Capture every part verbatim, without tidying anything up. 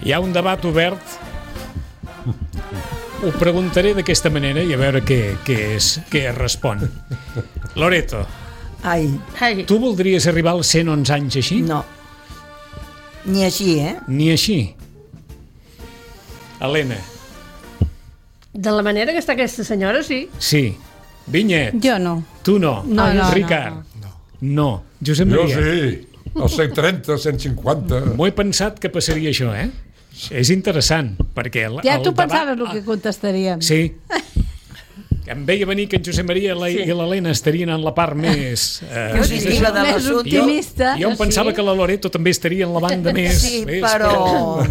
Hi ha un debat obert. Ho preguntaré d'aquesta manera i a veure què, què, és, què es respon. Loreto, Ai, Ai. tu voldries arribar als cent onze anys així? no. Ni així, eh? Ni així. Helena. De la manera que està aquesta senyora, sí. Sí. Vinyet. Jo no. Tu no. No, no, Ricard. no, No. Josep Jo Maria. sí, els cent trenta, cent cinquanta. M'ho he pensat que passaria això, eh? És interessant, perquè... El, Ja el tu debat- pensaves el que contestaríem. Sí. Em veia venir que en Josep Maria la, Sí. i l'Helena estarien en la part més... Eh, Positiva de Més l'assumpte. optimista. Jo em pensava que la Loreto també estaria en la banda més... Sí, més però...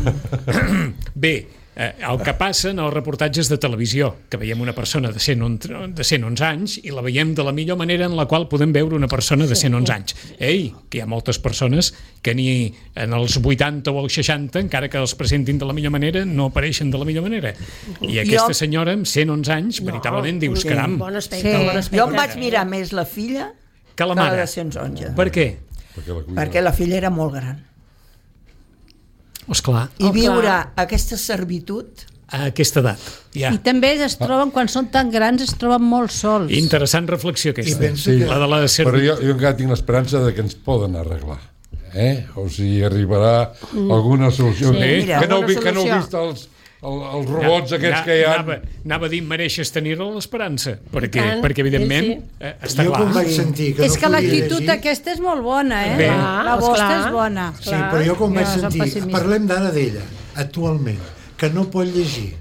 Bé, eh, el que passa en els reportatges de televisió, que veiem una persona de cent onze anys i la veiem de la millor manera en la qual podem veure una persona de cent onze anys. Ei, que hi ha moltes persones que ni en els vuitanta o els seixanta, encara que els presentin de la millor manera, no apareixen de la millor manera. I aquesta senyora amb cent onze anys, veritablement dius, caram, Bon aspecte, Sí. bon aspecte. Jo em vaig mirar més la filla que la que la mare. de cent onze. Per què? Perquè la cuida. Perquè la filla era molt gran. Esclar, I Oh, viure clar. aquesta servitud... a aquesta edat. Ja. I també es troben, quan són tan grans, es troben molt sols. Interessant reflexió aquesta. I pensa Sí. que... La de la Però servitud. jo, jo encara tinc l'esperança de que ens poden arreglar. Eh? O sigui, arribarà alguna solució. Sí, mira, que, no, alguna vi- que no heu solució. vist els, el, els robots aquests que hi ha. Anava, anava a dir, mereixes tenir-la l'esperança, perquè, tant, perquè evidentment, sí, eh, està Jo quan clar. vaig sentir que És no que podia l'actitud llegir... aquesta és molt bona, eh? Bé. La vostra Esclar. és bona. Sí, però jo quan vaig Jo soc sentir... pessimista. Parlem d'ara d'ella, actualment, que no pot llegir.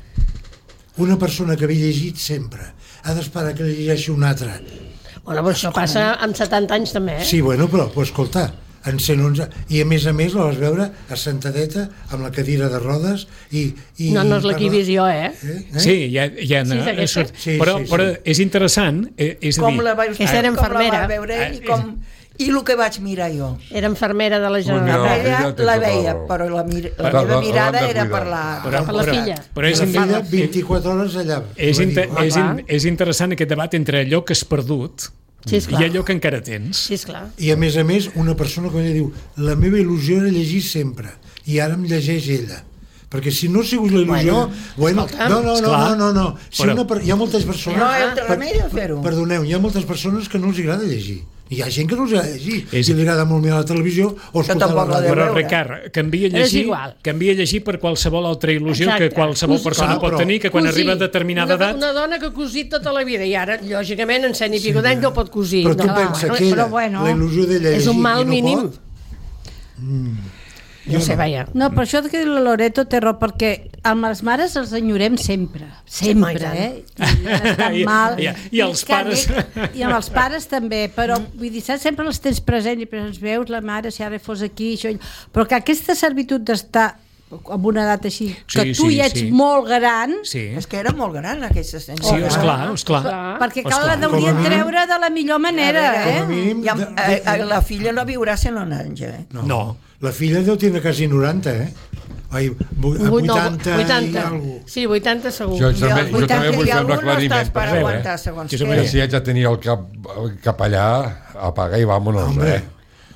Una persona que havia llegit sempre ha d'esperar que li llegeixi un altre. Bueno, però això passa amb setanta anys també, eh? Sí, bueno, però, però escolta, en cent onze... I a més a més la vas veure assentadeta amb la cadira de rodes i... i No, no és la que he vist jo, eh? Eh? Eh? Sí, ja, ja Sí, és no, aquesta? surt, Sí, però, sí, sí. però és interessant, eh, és a Com dir, la vaig, Aquesta era com la infermera. va veure ell i com... I el que vaig mirar jo. Era infermera de la mira, Generalitat. Ella ella té la tota veia, raó. però la, mir la Però meva l'han mirada de era cuidar. per la... Però- Per la però- filla. però és, la in- filla vint-i-quatre hores allà. és, Va dir, inter, "Ah, és, clar. in, és interessant aquest debat entre allò que has perdut Sí, esclar. i allò que encara tens. Sí, esclar. I a més a més, una persona que ella diu la meva il·lusió era llegir sempre i ara em llegeix ella. Perquè si no ha sigut la il·lusió... Bueno, escolta'm, no, no, no, esclar. no, no, no. Si Però- una, per- hi ha moltes persones... No hi ha altre remei de fer-ho. Perdoneu, hi ha moltes persones que no els agrada llegir. Hi ha gent que no els agrada llegir. És- I li agrada molt mirar la televisió o escoltar la tampoc la ràdio. deu Però, veure. Ricard, canvia a És llegir, igual. canvia a llegir per qualsevol altra il·lusió Exacte. que qualsevol Cosir. persona Clar, pot però- tenir, que quan Cosir. arriba a determinada una, edat... Una dona que ha cosit tota la vida i ara, lògicament, en cent i pico d'anys no pot cosir. Però tu no, pensa bueno, que però era bueno, la il·lusió d'ella és un llegir mal i no mínim. pot? No sé, vaja. No, però això que diu la Loreto té raó, perquè amb les mares els enyorem sempre. Sempre, Sí, eh? I han estat I- mal. i- i els que pares. dic- I amb els pares també, però vull dir, saps, sempre els tens present i presents veus la mare, si ara fos aquí, això, allò. Però que aquesta servitud d'estar amb una edat així, que Sí, tu sí, ja ets sí. molt gran, Sí, És que era molt gran aquesta sí, senyora. esclar, esclar. Clar. perquè cal Esclar. la deurien Com a mínim- treure de la millor manera, A veure, Com a eh? mínim... I amb, de- eh, de- eh, la filla no viurà cent anys, eh? No. La filla deu tindre quasi noranta, eh? Ai, vu- Vuit- no, vuitanta, i vuitanta. alguna. Sí, vuitanta segur. Jo també, jo vuitanta també vull i fer un algú no aclariment. estàs per Per veure, aguantar segons Josep què. Maria. que si haig de tenir el cap, el cap allà, apaga i vámonos, Hombre. eh?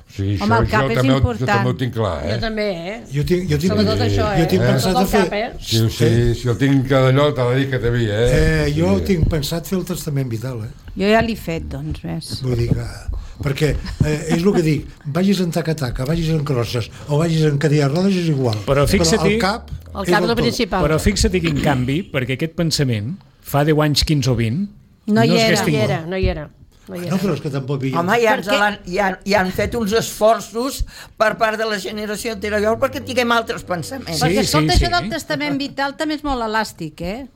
O sigui, Home, el cap això és també, ho- jo important. també ho tinc clar, Jo eh? també, eh? Jo tinc, jo tinc, Sobretot això, eh? jo tinc Eh? pensat Tot de el fer... cap, eh? Si, si, si el tinc d'allò, t'ha de dir que té vi, eh? Eh, jo Sí. tinc pensat fer el testament vital, eh? Jo ja l'he fet, doncs, ves. Vull dir que... Perquè eh, és el que dic, vagis en taca-taca, vagis en crosses o vagis en cadira de rodes és igual. Però fixa't-hi- el cap, El és cap el del tot. principal. Però fixa't quin canvi, perquè aquest pensament, fa deu anys, quinze o vint, No hi es era. No hagués hi tingut. era, no hi era. No hi No, era. però és que tampoc hi Home, ja, ens Perquè- l'han- ja, ja han fet uns esforços per part de la generació anterior perquè tinguem altres pensaments. Sí, Perquè, escolta, sí, això sí. del testament vital també és molt elàstic, eh?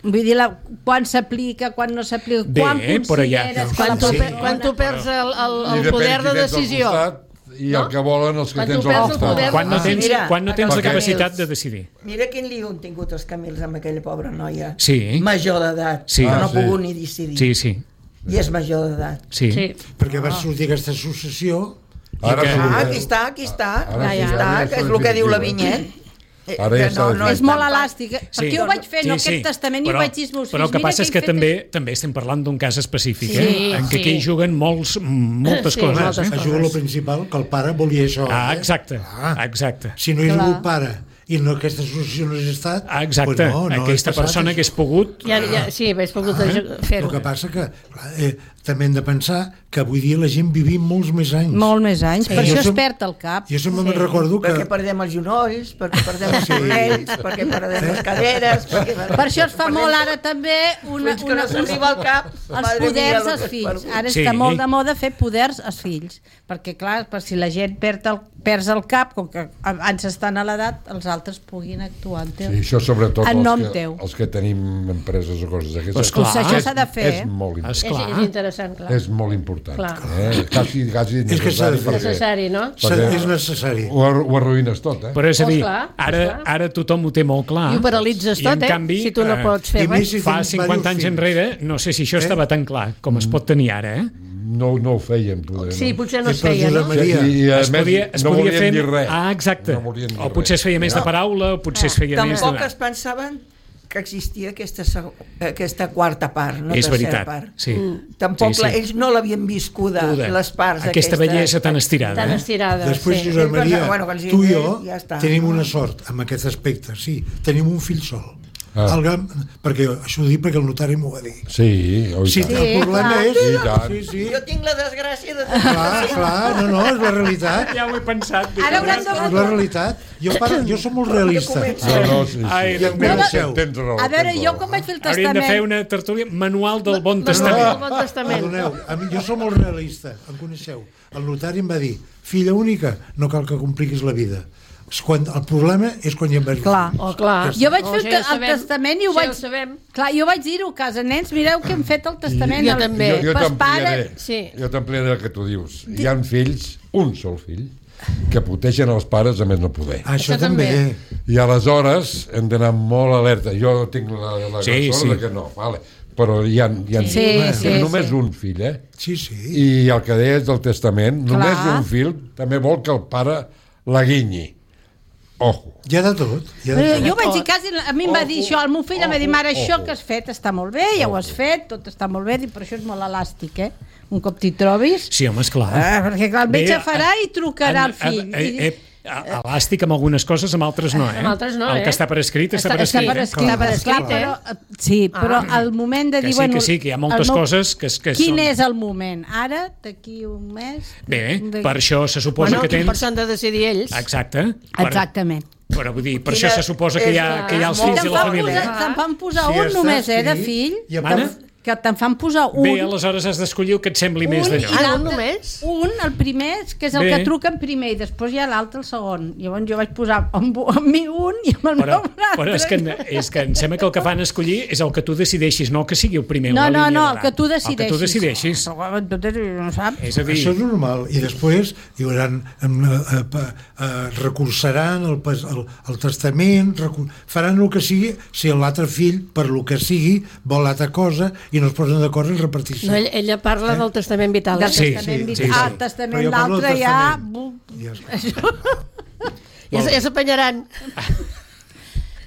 Vull dir, la, quan s'aplica, quan no s'aplica, Bé, quan però ja- consideres que Quan la tu, Sí. per, quan tu perds el, el, I el depèn poder qui de tens al decisió... costat I el que volen els que Quan tens tu al perds el costat. poder- Quan no Ah, tens, mira, quan no tens la perquè- capacitat de decidir. Mira quin lío han tingut els Camils amb aquella pobra noia. Sí. Major d'edat, Sí. que no Ah, ha sí. pogut ni decidir. Sí, sí. I és major d'edat. Sí. Sí. perquè va sortir aquesta associació Ara que- sí, Ah, eh? aquí està, aquí està. Ara Aquí sí, està, ara que ja és està el que diu la definitiu, eh? Vinyet. Eh, Ara ja que està no és tan- molt elàstic. eh? Sí. Perquè jo ho vaig fer, no Sí, sí. aquest testament, i ho vaig dir als meus Però el fills. que Mira passa és he que fet també també estem parlant d'un cas específic, Sí, eh? en què sí. aquí hi juguen molts, moltes Sí, coses. moltes Eh? això és el principal, que el pare volia això. Ah, eh? exacte, Ah. exacte. Si no hi ha Clar. hagut pare i no aquesta associació no hagués estat... Ah, exacte, pues no, no aquesta persona hagués pogut... Ja, ja, sí, hagués pogut Ah, fer-ho. el que passa que clar, eh, també hem de pensar que avui dia la gent vivim molts més anys. Molt més anys, per Jo això es som- perd el cap. Jo sempre me'n recordo que... Perquè perdem els genolls, perquè perdem els corrells, perquè perdem les caderes... Perquè Per això es fa molt ara també una, Fins que una, no s'arriba al cap, els madre mia, poders lo als que has fills. perdut. Ara Sí. està molt de moda fer poders als fills, perquè clar, per si la gent perd el, perds el cap, com que abans estan a l'edat, els altres puguin actuar en teu. Sí, això sobretot En els nom que, teu. els que tenim empreses o coses d'aquestes. Pues clar. Doncs això s'ha de fer, és, eh? és molt important. És, Esclar. és interessant, clar. És molt important. Clar. Eh? Quasi, quasi És que s'ha de necessari fer. perquè Necessari, no? S'ha- perquè- és necessari. ho, ar- ho arruïnes tot, eh? Però és a Oh, dir, esclar, ara, esclar. ara tothom ho té molt clar. I ho paralitzes I, tot, en eh? canvi, Si tu no eh, pots fer i més res. si fa tens cinquanta anys diversos enrere, no sé si això Eh? estava tan clar com es pot tenir ara, eh? No, no ho feien, poder. Sí, no? potser no I es per feia, no? Josep Maria. I, i a Es més, podia, es no podia volien fer... dir res. Ah, exacte. No volien dir O potser es res. feia més de paraula, o potser es feia més Tampoc de... es pensaven que existia aquesta, seg- aquesta quarta part, no És tercera veritat, part. sí. Tampoc Sí, la, sí. ells no l'havien viscuda, Uda. les parts Aquesta bellesa tan estirada. Tan Eh? estirada. Després, sí. Josep Maria, Bueno, quan els tu i dic, jo ja està. tenim una sort amb aquest aspecte, sí. Tenim un fill sol. Ah. El gran, perquè això ho dic perquè el notari m'ho va dir. Sí, oi Sí, tant. el problema clar. és... I tant. Sí, sí. Jo tinc la desgràcia de... Clar, clar, no, no, és la realitat. Ja ho he pensat. Ara hauran de... És la realitat. Jo, pare, jo som molt realista. No, no, sí, sí. Ai, I Déu em meu. coneixeu. Tens raó. A veure, tens jo raó. com vaig fer el Hauríem de fer testament... una tertúlia manual del Bon Manual Testament. del Bon Testament. Perdoneu, a mi, jo som molt realista, em coneixeu. El notari em va dir, filla única, no cal que compliquis la vida. És quan, el problema és quan ja em vas dir. Clar. Oh, clar. Jo vaig Oh, fer el, això te- ja ho el sabem. testament i ho Això vaig... ja ho sabem. Clar, jo vaig dir-ho a casa, nens, mireu que hem fet el testament. Jo El- també. Jo, jo Pas t'ampliaré. pare- Sí. Jo t'ampliaré el que tu dius. Hi ha fills, un sol fill, que protegen els pares a més no poder. Això, Això també. també. I aleshores hem d'anar molt alerta. Jo tinc la, la Sí, gran sort sí. de que no, vale. Però hi ha, hi ha Sí, sí, només sí. un fill, eh? Sí, sí. I el que deies del testament, Clar. només un fill també vol que el pare la guinyi. Ojo. Hi ha de tot. Hi ha de Però tot. jo vaig dir quasi, a mi em va dir això, el meu fill em va dir, mare, això ojo. que has fet està molt bé, ja ho has fet, tot està molt bé, dic, però això és molt elàstic, eh? Un cop t'hi trobis... Sí, home, esclar. Ah, perquè clar, el metge Bé, farà i trucarà al en- fill. eh, eh, eh, elàstic amb algunes coses, amb altres no, eh? Amb altres no, El eh? que està per escrit està, Està- per està escrit. per eh? escrit. Està per escrit, Clar, eh? però, eh, sí, però al moment de Que dir... sí, bueno, que sí, que hi ha moltes el meu- coses que, que Quin són... és el moment? Ara, d'aquí un mes? Bé, De- per això se suposa Bueno, que per tens... això han de decidir ells. Exacte. Per, Exactament. però vull dir, per Quina això se suposa que hi ha, que hi ha els és fills Te'n i la fan família. posar, te'n fan posar Si un està només, eh, de escrit, fill. i a Mana? part- Que te'n fan posar un. Bé, aleshores has d'escollir el que et sembli més un d'allò. i Ah, un l'altre- només? Un, el primer, que és el Bé. que truquen primer, i després hi ha l'altre, el segon. Llavors jo vaig posar amb, amb mi un i amb el Però, meu un altre. però és, que, és que em sembla que el que fan escollir és el que tu decideixis, no que sigui el primer en No, la no, línia no, el davant. que tu El que decideixis. tu decideixis. Però tu no saps. És a dir, Això és normal. I després hi haurà, eh, eh, eh, recursaran el, pas- el, el testament, recu- faran el que sigui, si l'altre fill, per lo que sigui, vol l'altra cosa i no es posen d'acord en repartir-se. No, ella, ella parla del testament vital. Del eh? Sí, testament sí, vital. sí, sí. Ah, el Però testament jo parlo del l'altre ja... testament. Ja és- Ja, s- ja s'apanyaran.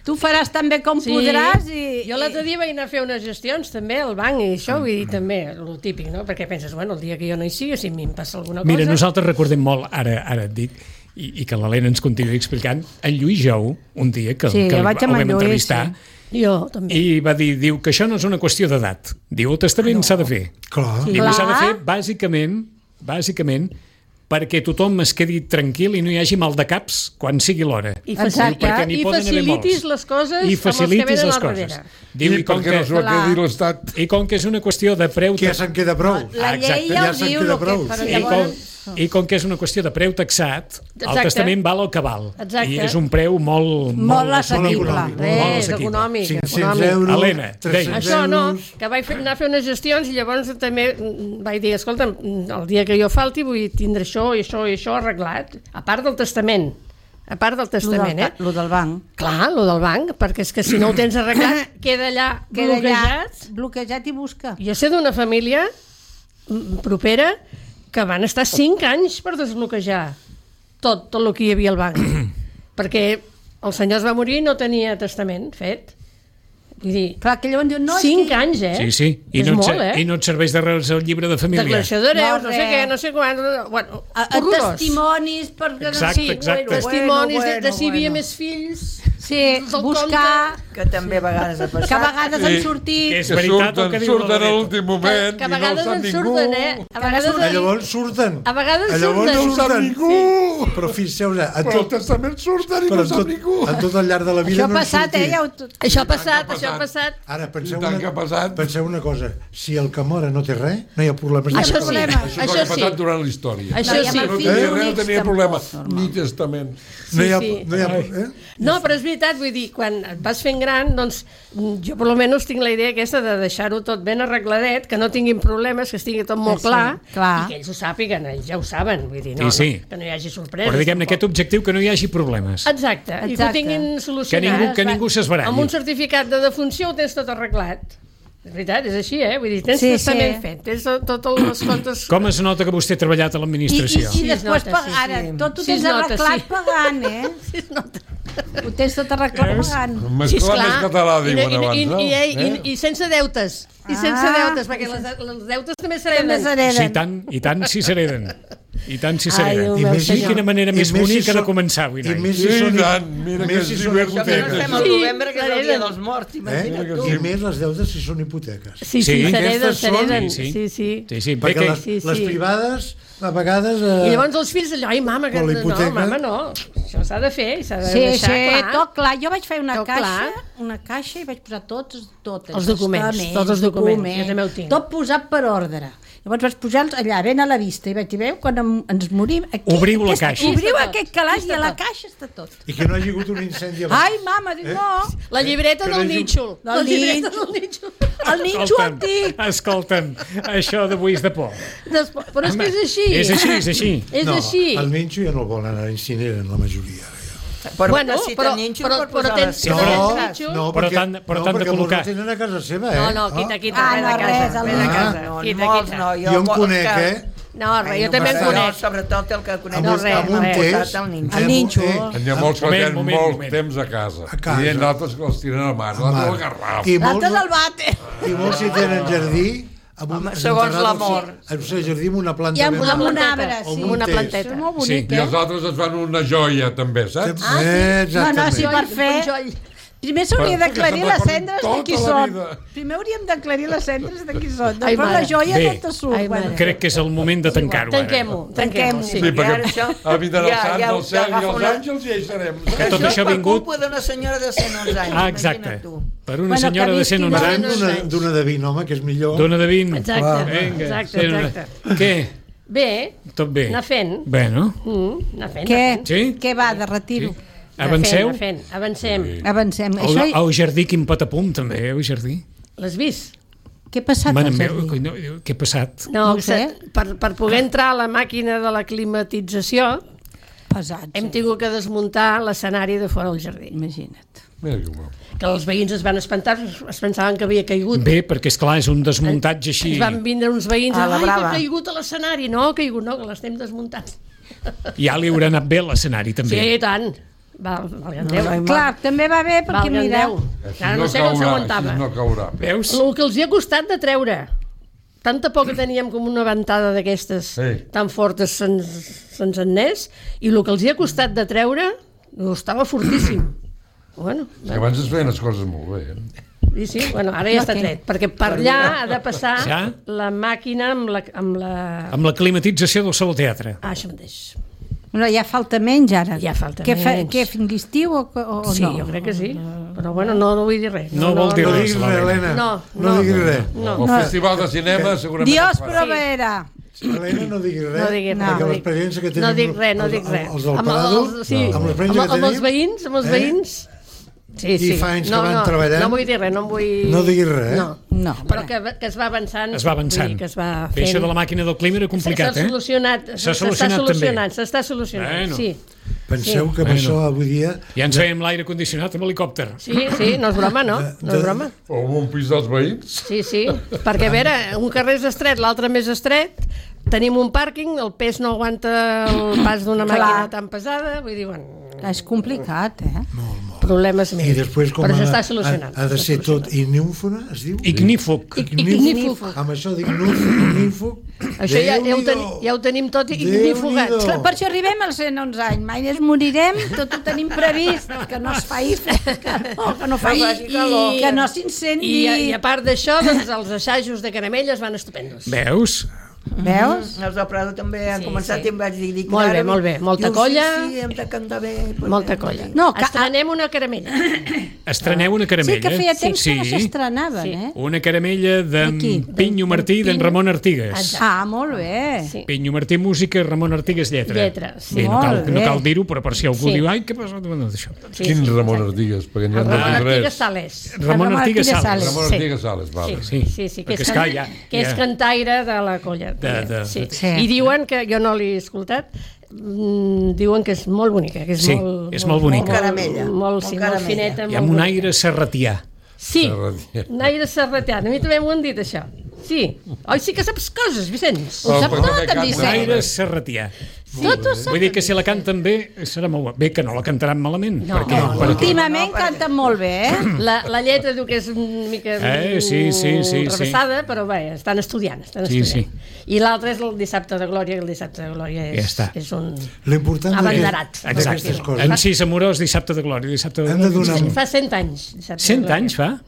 Tu faràs també com Sí. podràs i... Jo l'altre dia vaig anar a fer unes gestions també al banc i això, vull dir, també, el típic, no? Perquè penses, bueno, el dia que jo no hi sigui, si a mi em passa alguna cosa... mira, nosaltres recordem molt, ara, ara et dic, i, i que l'Helena ens continuï explicant, en Lluís Jou, un dia que, Sí, que jo vaig amb el en vam Lluís, entrevistar, Jo també. i va dir, diu que això no és una qüestió d'edat. Diu, el testament s'ha de fer. Clar. Diu, i s'ha de Clar. fer bàsicament, bàsicament, perquè tothom es quedi tranquil i no hi hagi mal de caps quan sigui l'hora. I, Exacte. facil... Perquè n'hi I poden haver facilitis molts. les coses I amb els que facilitis venen les al coses. darrere. Diu, I, i, com perquè que, no s'ho Clar. quedi l'Estat. I com que és una qüestió de preu... Que ja se'n queda prou. La llei Exacte. ja Ja ho se'n diu, queda lo que, prou. però I com, llavors... I com que és una qüestió de preu taxat, el Exacte. testament val el que val. Exacte. I és un preu molt... Molt assequible. econòmic. Res. Molt És assequible. econòmic. cinc-cents econòmic. euros, Helena, tres-cents Això no, euros... que vaig fer, anar a fer unes gestions i llavors també mm, vaig dir, escolta, el dia que jo falti vull tindre això i això i això arreglat, a part del testament, a part del Lo del, testament, eh? lo del banc. Clar, lo del banc, perquè és que si no ho tens arreglat, queda allà Queda allà bloquejat. bloquejat i busca. Jo sé d'una família mm, propera que van estar cinc anys per desbloquejar tot, tot el que hi havia al banc. Perquè el senyor es va morir i no tenia testament fet. Vull dir, Clar, que llavors diuen, no, és cinc que... anys, eh? Sí, sí. I És no, et, molt, ser- eh? I no et serveix de res el llibre de família. Declaració d'hereus, No, no, sé res. què, no sé quan... Bueno, A, a horrorós. testimonis per... Exacte, sí, exacte. Bueno, Testimonis bueno, de, de si hi havia bueno. més fills... Sí, del buscar... Que també a vegades ha passat. Que a vegades Sí. han Que sortit... és Que veritat el surten, que diu la surten a Loreto. l'últim moment que a i no vegades ho sap en ningú. surten, eh? A vegades, A llavors surten. a vegades A llavors surten. no No ho sap surten. ningú. Però fixeu-vos, en Però el tot, testament surten i però no en sap tot, ningú. en tot el llarg de la vida Això ha no en passat, eh? sortia. Ja ho... Això ha passat, que ha això ha passat. passat. Ara, penseu I tant una, que ha passat. penseu una cosa. Si el que mora no té res, no hi ha problema. Això sí, problema. Això és el això que ha passat sí. durant la història. Això No, i amb sí. el No fill tenia res, no únics tenia tampoc, problema. normal. Ni testament. No hi ha, sí. no hi ha, eh? No, però és veritat, vull dir, quan et vas fent gran, doncs jo per almenys tinc la idea aquesta de deixar-ho tot ben arregladet, que no tinguin problemes, que estigui tot molt Sí, clar, clar. i que ells ho sàpiguen, ells ja ho saben, vull dir, no, Sí, sí. no que no hi hagi sorpreses. Però diguem-ne, tampoc. aquest objectiu que no hi hagi problemes. Exacte, i que ho Exacte. tinguin solucionat. Que ningú, que ningú s'esbaralli. Amb un certificat de defunció ho tens tot arreglat. És veritat, és així, eh? Vull dir, tens Sí, testament sí. fet, tens totes les comptes... Com es nota que vostè ha treballat a I, i, l'administració? i Sí, es després, nota, pag- sí, ara, sí. tot ho Sí, tens es nota, arreglat sí. pagant, eh? Sí, es nota. Ho tens tot arreglat pagant. Més Sí, clar, esclar. més català, I, diuen i, abans, i, no? i, i, Eh? i, i sense deutes. I sense Ah. deutes, perquè les, les deutes també També s'hereden. s'hereden. Sí, i tant, i tant si s'hereden. I tant si Ai, s'hereden. Déu I meu més si- I quina manera i més més si bonica de són- començar avui, I noi. més Sí, si són... i tant, mira que més si sí, són ben Això que no hipoteques. estem al Sí, novembre, que és el dia s'hereden. dels morts, Eh? imagina't tu. I més les deutes si són hipoteques. Sí, sí, Sí. s'hereden, Aquestes són- s'hereden. Sí, sí. Sí, sí. Sí, sí, Perquè bé que... les, sí, sí. les privades, a vegades... Eh, I llavors els fills allò, ai, mama, que Però la no, hipoteca- mama, no. Això s'ha de fer, i s'ha de Sí, deixar sí, clar. tot clar. Jo vaig fer una Tot caixa, clar. una caixa i vaig posar tots, totes, Els documents, testaments, tots els documents, jo també ho tinc. Tot posat per ordre. Llavors vaig posar-los allà, ben a la vista, i vaig dir, veu, quan em, ens morim... Aquí, Obriu la aquest- caixa. Obriu Aquí està tot, aquest calaix aquí i a està la tot. caixa està tot. I que no hi ha hagut un incendi abans. Ai, mama, dic, no. La llibreta Que no del hi hagi- nínxol. La Del llibreta nínxol. del nínxol. El ninxo antic. escolta'm, això d'avui és de por. Després, però és que és així. És així, és així. És no, així. el ninxo ja no el volen anar, incineren la majoria. Però Bueno, necessiten però- ninxo però- per però posar tens- les Sí, No, tens coses. ninxo? no, Però perquè, t'han- però no, t'han de perquè molts col·locar. el tenen a casa seva, eh? No, no, quita, quita, Ah, res no, de casa. res, el Res de ninxo. casa. No, Quita, molts quita. no. Jo en vol- conec, que- eh? No, res, Ai, jo també en no, conec. sobretot el que conec. No, res, amb un res. test, El ninxo. El ninxo. eh, N'hi ha molts que Moment, tenen moment, molt moment. temps a casa. A casa. I hi ha altres que els tiren al mar. L'altre al garraf. I L'altre molts, del bate. i molts si tenen jardí, amb un, Home, segons l'amor. En un jardí amb una planta I amb, ben amb un gran. arbre, O sí. amb un una test. planteta. És molt Sí. bonic, I eh? els altres es fan una joia, també, saps? Ah, sí? Eh, No, no, sí, exactament. per fer... Joll. Primer s'hauria Perquè d'aclarir se'n les recordin cendres de tota qui la són. vida. Primer hauríem d'aclarir les cendres de qui són. Ai, Després mare. la joia Bé. no te surt. Ai, Bueno. mare. Crec que és el moment de tancar-ho. ara. Tanquem-ho, tanquem-ho. Tanquem-ho. Sí. Sí, I ara perquè això- ha vindran els ja- sants ja- del cel ja i agafa els una- àngels i ja hi serem. Que tot Això això és ha per vingut... culpa d'una senyora de cent onze anys. Ah, exacte. Imagina't tu. Per una Bueno, senyora que de cent onze visqui Parlem anys. d'una d'una de vint, home, que és millor. Dona de vint. Exacte, Vinga, exacte, cent onze. exacte. Què? Bé, Tot bé? anar fent. Bé, no? Mm, anar fent, Què? anar fent. Sí? Què va, de retiro? Sí. Avanceu? Anar fent, anar fent. Avancem. Avancem. El, Això... el jardí, quin patapum, també, eh, el jardí. L'has vist? Què ha passat Mare al meva, jardí? no, què ha passat? No, No ho sé. per, per poder entrar a la màquina de la climatització Pesats. hem tingut que desmuntar l'escenari de fora del jardí. Imagina't. Mira que bo. Que els veïns es van espantar, es pensaven que havia caigut. Bé, perquè, és clar és un desmuntatge així. Ens van vindre uns veïns, A la ai, que brava. ha caigut a l'escenari. No, ha caigut, no, que l'estem desmuntant. Ja li haurà anat bé l'escenari, també. Sí, i tant. Val, valga'm Déu. no, Clar, també va bé perquè, Valga'm mira... Déu. Així Ara no sé com caurà, s'aguantava. així no caurà. Veus? El que els hi ha costat de treure. Tanta por que teníem com una ventada d'aquestes Sí. tan fortes se'ns se'ns en anés, i el que els hi ha costat de treure no, estava fortíssim. Bueno, És que abans es feien les coses molt bé. Eh? i sí, bueno, ara ja està què? tret, perquè per allà ha de passar Ja? la màquina amb la... Amb la... Amb la climatització del Saló Teatre. Ah, això mateix. No, ja falta menys ara. Ja falta què menys. Què, fins l'estiu o, o, o Sí, no? jo crec que sí, però bueno, no, no vull dir res. No vol dir No res, diguis res, l'Helena. Helena. No, no no. diguis res. No. El festival de cinema segurament... Dios es farà. proveerà. Helena, no diguis res. No diguis res. Perquè no dic- l'experiència que tenim... No dic res, no els- dic res. Els del Amb Prado, els- sí, amb amb, l'experiència que amb els tenim... veïns, amb els eh? veïns... Sí, sí. I fa anys que no, van no, treballant. No vull dir res, no em vull... No diguis res, eh? No, No, però que, que es va avançant. Es va avançant. Vull dir que es va Bé, fent... això de la màquina del clima era complicat, S'ha eh? solucionat, S'ha s'està solucionat també. solucionant, s'està solucionant, Bueno. sí. Penseu Sí. que amb Bueno. això avui dia... Ja ens veiem l'aire condicionat amb helicòpter. Sí, sí, no és broma, no? No és broma. O amb un pis dels veïns. Sí, sí, perquè a veure, un carrer és estret, l'altre més estret, tenim un pàrquing, el pes no aguanta el pas d'una Clar. màquina tan pesada, vull dir, bueno... És complicat, eh? Molt, molt. problemes més. I després com Però ha, s'està ha, solucionant. ha de ser tot ignífona, es diu? Ignífug. Ignífug. Amb això d'ignífug. Això ja, ja, ho ten, ja ho tenim tot ignífugat. Déu-n'hi-do. Per això arribem als cent onze anys. Mai ens morirem, tot ho tenim previst. Que no es faci que no, que no faci faci calor. que no s'incendi. I, a- I a part d'això, doncs, els assajos de caramelles van estupendos. Veus? Veus? Els del Prado també han Sí, començat sí. i em vaig dir... dic, Molt bé, ara, molt bé. Molta diu, colla. Sí, sí, hem de cantar bé. pues Molta bé, colla. molt bé. No, que- Estrenem una caramella. Estreneu una Sí, caramella. que feia temps sí. que no s'estrenaven, Sí. eh? Una caramella d'en D'aquí, Pinyo Martí i d'en Pinyo. Ramon Artigues. Exacte. Ah, molt bé. Sí. Pinyo Martí música, Ramon Artigues lletra. Lletra, sí. Bé, no cal, Molt no bé. cal dir-ho, però per si algú Sí. diu ai, què passa amb això? Sí, Quin sí, Ramon exacte. Artigues? Perquè n'hi ha El de Ramon dir Artigues res. Sales. Ramon Ramon Artigues Artigues Sales. Sales. Ramon Sí. Artigues Sales, vale. Sí, Sí. sí, sí, que, Perquè, és, esclar, can... ja- que és ja- cantaire de la colla. De- de- sí. de- Sí. I diuen que, jo no l'he escoltat, mm, diuen que és molt bonica, que és Sí, molt, és molt bonica. Molt, Caramella. molt, Molt sí, molt caramella. fineta. I molt amb un bonica. aire serratià. Sí, Serratià. un aire serratià. A mi també m'ho han dit, això. Sí. Oi, sí que saps coses, Vicenç. Oh, sap perquè tot, me en canta. Un Vicent. aire serratià. Tot ho sap. Vull dir que si la canten bé, serà molt bo. Bé, que no la cantaran malament. No, perquè, no, no. perquè... Últimament canten molt bé, eh? La, la lletra diu que és una mica Eh, sí, sí, sí, rebassada, però bé, estan estudiant. Estan Sí, estudiant. I l'altre és el dissabte de Glòria, i el dissabte de Glòria és, Ja està. és un... L'important Abanderat. d'aquestes Exacte. coses. En sis amorós, dissabte de glòria. Dissabte de Hem de glòria. donar, Fa cent anys. Dissabte de Cent Glòria. anys fa?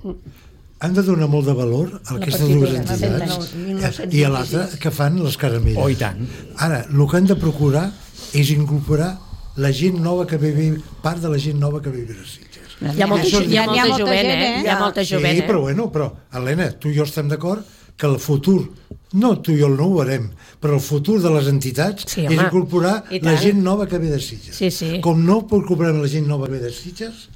han de donar molt de valor a aquestes partitura, dues fa cent entitats anys. i a l'altra que fan les caramelles. Oh, i tant. Ara, el que han de procurar és incorporar la gent nova que ve, ve part de la gent nova que ve a viure a Sitges. Hi ha molta, Això és hi ha Hi ha molta molta jovent, gent, eh? eh? Hi ha molta jovent, sí, eh? però bueno, però, Helena, tu i jo estem d'acord que el futur, no tu i jo no ho veurem, però el futur de les entitats Sí, és home, incorporar i la tant. gent nova que ve de Sitges. Sí, sí. Com no incorporem la gent nova que ve de Sitges,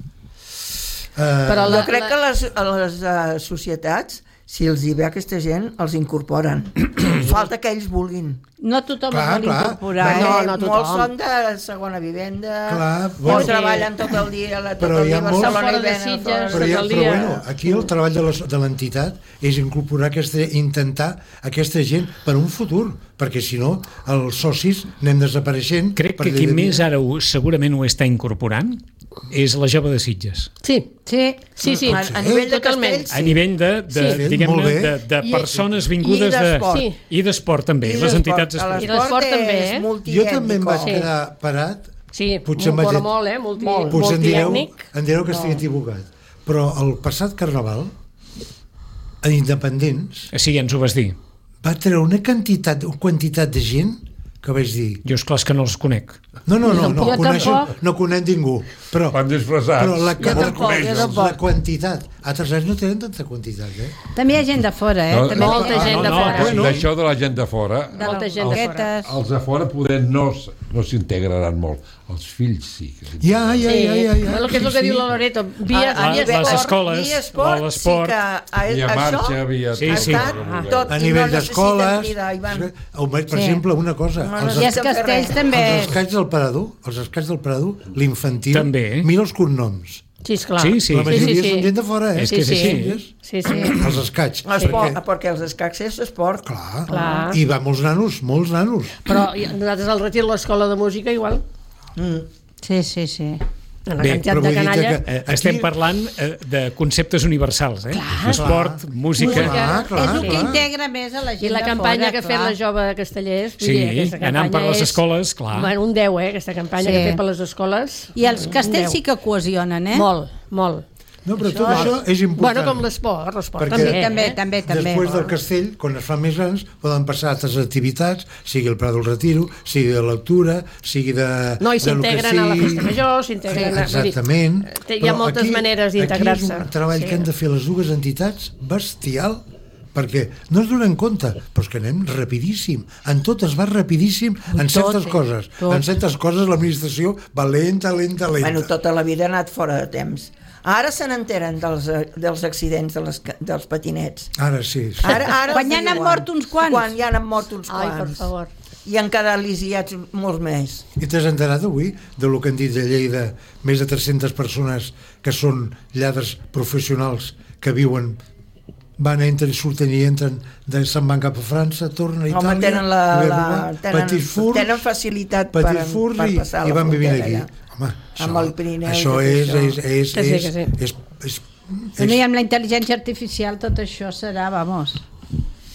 eh, Però la, Jo crec la... que les, a les uh, societats, si els hi ve aquesta gent, els incorporen. Falta que ells vulguin. No tothom Clar, es vol clar. incorporar. Perquè No, Eh? no, tothom. Molts són de segona vivenda, Clar, o bueno. treballen tot el dia, la, tot Però el hi ha dia a molts- Barcelona Fora i de venen Sitges, fora. però, tot ja, el però dia. bueno, aquí el treball de les- de l'entitat és incorporar aquesta, intentar aquesta gent per un futur, perquè si no els socis anem desapareixent. Crec per que llei qui de més vida. ara ho, segurament ho està incorporant és la jove de Sitges. Sí, Sí. sí, sí. A, a nivell de Totalment. castells, A nivell de, de, Sí. diguem-ne, Molt bé. de, de I- persones i vingudes de... d'esport. Sí. I d'esport també, I les l'esport. entitats A esportives. I l'esport també, és eh? Jo també em vaig multiètnico. quedar parat. Sí, Potser molt, m'ha dit- molt, eh? Multi, molt. Potser em direu, multiètnic. em direu que estic equivocat. Però el passat carnaval, a Independents, Sí, ens ho vas dir. va treure una quantitat, una quantitat de gent que vaig dir... Jo, esclar, és que no els conec. No, no, no, no, Jo coneixo, tampoc. no conec ningú. Però, Van disfressats. però la, Jo tampoc, jo tampoc. la quantitat. Altres anys no tenen tanta quantitat, eh? També hi ha gent de fora, eh? No, També molta hi ha gent no, de no, fora. bueno. D'això de la gent de fora, de Molta les gent de fora. boquetes. els de fora poder no, s- no s'integraran molt. Els fills sí. que s'integren. Ja, ja, Sí, ja, ja. ja. el que és el que diu la Loreto. Via, A- a via nivell- les esport. escoles, via esport, l'esport, sí que a, Via això marxa, via... Sí, ha sí. estat tot A i nivell no d'escoles... necessiten cridar, Ivan. Per Sí. exemple, una cosa... No, els no, I es- els castells també. Els escacs del Parador, els escacs del Parador, l'infantil, També. mira els cognoms. Sí, esclar. Sí, sí. La majoria sí, sí. són gent de fora, eh? És que és sí, així. Sí, sí. Els escacs. Esport, Perquè, perquè els escacs és esport. clar, Clar. i va molts nanos, molts nanos. Però i nosaltres al retir l'escola de música igual. Sí, sí, sí. Una Bé, quantitat però de vull dir canalla. que- Eh, estem Aquí- parlant eh, de conceptes universals, eh? Esport, música... Clar, clar, és el que clar. integra més a la gent I la de campanya fora, que ha fet clar. la jove de Castellers, vull Sí, dir, aquesta anant per campanya les és- escoles, clar. Bueno, un deu, eh, aquesta campanya Sí. que ha fet per les escoles. I els un castells deu. sí que cohesionen, eh? Molt, molt. No, però tot això és important. Bueno, com l'esport, l'esport Perquè- també. Sí, també, eh? també, també. Després del castell, quan es fan més grans, poden passar a altres activitats, sigui el Prat del Retiro, sigui de lectura, sigui de... No, i de lo que s'integren a la sigui. festa major, s'integren... a- vull dir, Exactament. té- hi ha Però moltes aquí- maneres d'integrar-se. Aquí és un treball Sí. que han de fer les dues entitats bestial, perquè no es donen compte, però és que anem rapidíssim. En tot es va rapidíssim, en tot, certes eh? coses. Tot. En certes coses l'administració va lenta, lenta, lenta. Bueno, tota la vida ha anat fora de temps. Ara se n'enteren dels, eh, dels accidents de les, ca- dels patinets. Ara sí. sí. Ara, ara Quan els ja n'han diuen. mort uns quants. Quan ja n'han mort uns Ai, quants. per favor. I han quedat lisiats molts més. I t'has enterat avui de lo que han dit de Lleida, més de tres-centes persones que són lladres professionals que viuen, van, entren, surten i entren, de, se'n van cap a França, tornen a Itàlia, Home, tenen, la, i ve a la, robar, tenen, petits furs, tenen facilitat per, petits furs per i, passar i la van vivint frontera aquí. allà. Home, Amb el Pirineu i això tot és, això. és, és, Que sí, és, que sí. és, és, Bueno, I és, amb la intel·ligència artificial tot això serà, vamos,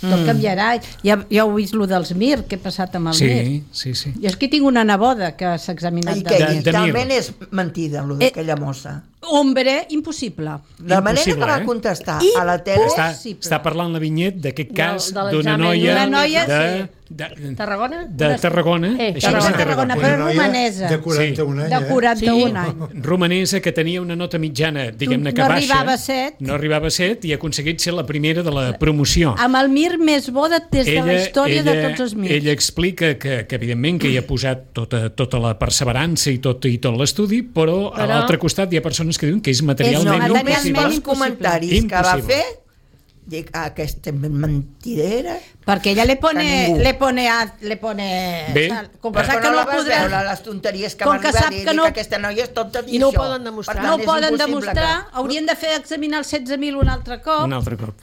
tot canviarà. Ja, ja heu vist lo dels Mir, què ha passat amb el Mir. Sí, sí, sí. Jo és que tinc una neboda que s'ha examinat I de que de- i de Mir. també és mentida, el d'aquella mossa. Hombre, impossible. La manera que Impossible, va eh? contestar a la tele... Està, Possible. està parlant la Vinyet d'aquest Del- cas de d'una l'examen. noia, Una noia, de, sí. de, Tarragona? de Tarragona, Eh, això va Tarragona, ser Tarragona, Tarragona, però una noia romanesa. de quaranta-un anys, De eh? quaranta-un Sí. anys. romanesa, que tenia una nota mitjana, diguem-ne que No baixa. arribava a set. No arribava a set i ha aconseguit ser la primera de la promoció. Amb el Mir més bo de, des de la història de tots els Mirs. Ella explica que, que evidentment que hi ha posat tota, tota la perseverança i tot, i tot l'estudi, però, a Però- l'altre costat hi ha persones que diuen que és materialment No, només materialment pels impossible. comentaris que va Impossible. fer, dic, ah, aquesta mentidera... Perquè ella le Que pone, ningú. le pone, a- le pone, Bé. sal- com que Però sap que que no no la vas podrà, veure, les tonteries que Com va que arribar sap a dir, que dic, no- aquesta noia és tonta dir I no ho això. poden demostrar. Per tant, no ho és poden impossible demostrar, que- haurien de fer examinar els setze mil un altre cop. un altre cop.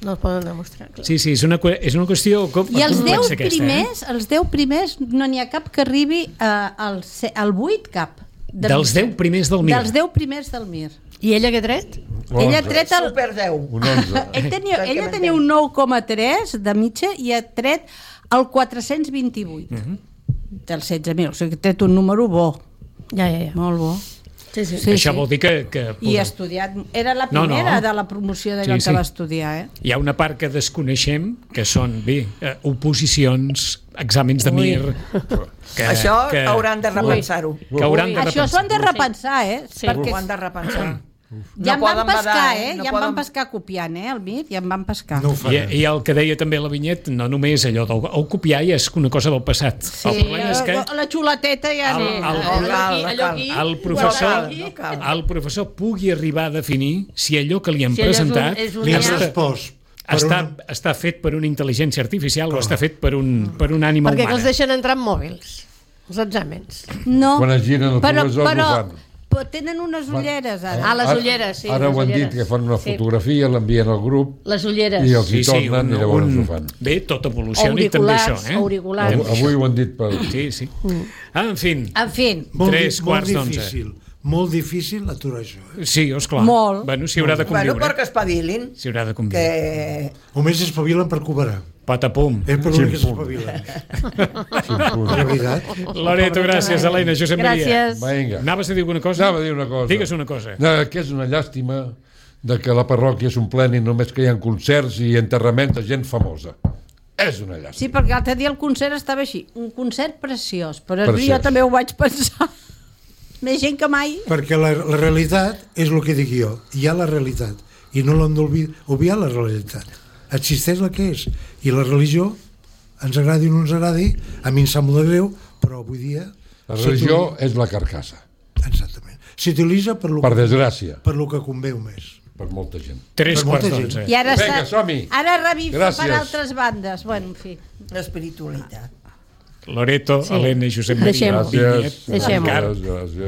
No es poden demostrar. Clar. Sí, sí, és una, que- és una qüestió com, I els deu complexa aquesta, primers, els deu primers no n'hi ha cap que arribi eh, al, se- al vuit cap. eh? Dels deu primers del Mir. Dels deu primers del Mir. I ella què ha tret? Ella ha tret el, Super deu. Un onze. ell tenia, Perquè ella m'entén. tenia un nou coma tres de mitja i ha tret el quatre-cents vint-i-vuit Mhm. dels setze mil, o sigui que ha tret un número bo, Ja, ja, ja. molt bo. Sí, sí. Sí, Això sí. vol dir que... que I ha estudiat, era la No, no. primera de la promoció d'allò Sí, que sí. va estudiar, eh? Hi ha una part que desconeixem, que són, bé, eh, oposicions, exàmens de Ui. Mir... Que, Això que, hauran de repensar-ho. que hauran de Això s'ho han de repensar. repensar, eh? Sí. Perquè Ho han de repensar. ja em No van poden pescar, badar, eh? no Ja em poden- van pescar copiant, eh? El Mir, ja em van pescar. no ho I, faran. I el que deia també la Vinyet, no només allò del el copiar ja és una cosa del passat. Sí, el problema és que la, la xuleteta ja El- no. el- allò No cal, aquí, no allò cal. aquí. el professor, No cal, no cal. el professor pugui arribar a definir si allò que li han Si allò és un- presentat és un- Li han Ja. respost. per està, una- està fet per una intel·ligència artificial o està fet per un, per un ànima Perquè que humana. els deixen entrar amb mòbils, els exàmens. No. Quan es giren el però, professor, però, ho fan. però tenen unes ulleres, ara. Ah, les Ara- ulleres, sí. Ara les ho han dit, ulleres. que fan una Sí. fotografia, l'envien al grup Les ulleres. i els Sí, hi sí, tornen un, i llavors un, ho fan. bé, tot evoluciona i també això. Auriculars, Eh? auriculars. Avui, avui ho han dit per... Sí, sí. Ah, en fi, En fi, Molt, Tres di- quarts molt d'onze. difícil. Molt difícil aturar això. Eh? sí, esclar. Molt. Bueno, s'hi haurà de Bueno, conviure. perquè espavilin, S'hi haurà de conviure. que Només espavilen per cobrar. Patapum. És per l'únic que s'espavilen. De veritat. Loreto, gràcies. Helena, Josep Maria. Gràcies. Vinga. Anaves a dir alguna cosa? Anava a dir una cosa. Digues una cosa. No, que és una llàstima de que la parròquia s'ompleni només que hi ha concerts i enterraments de gent famosa. És una llàstima. sí, perquè l'altre dia el concert estava així, un concert preciós, però Preciós. jo també ho vaig pensar. Més gent que mai. Perquè la, la realitat és el que dic jo. Hi ha la realitat. I no l'hem d'obviar la realitat. Existeix la que és. I la religió, ens agradi o no ens agradi, a mi em sap molt de greu, però avui dia... La religió és la carcassa, Exactament. S'utilitza per lo, per desgràcia, per lo que conveu més. per molta gent. Tres Per molta quarts gent. d'onze. I ara, Vinga, està, som-hi. ara revifa per Gràcies. altres bandes. Bueno, en fi. l'espiritualitat. Loreto, Sí. Helena i Josep Maria. Deixem-ho. Vinyet. Gràcies. Deixem-ho. Gràcies, gràcies.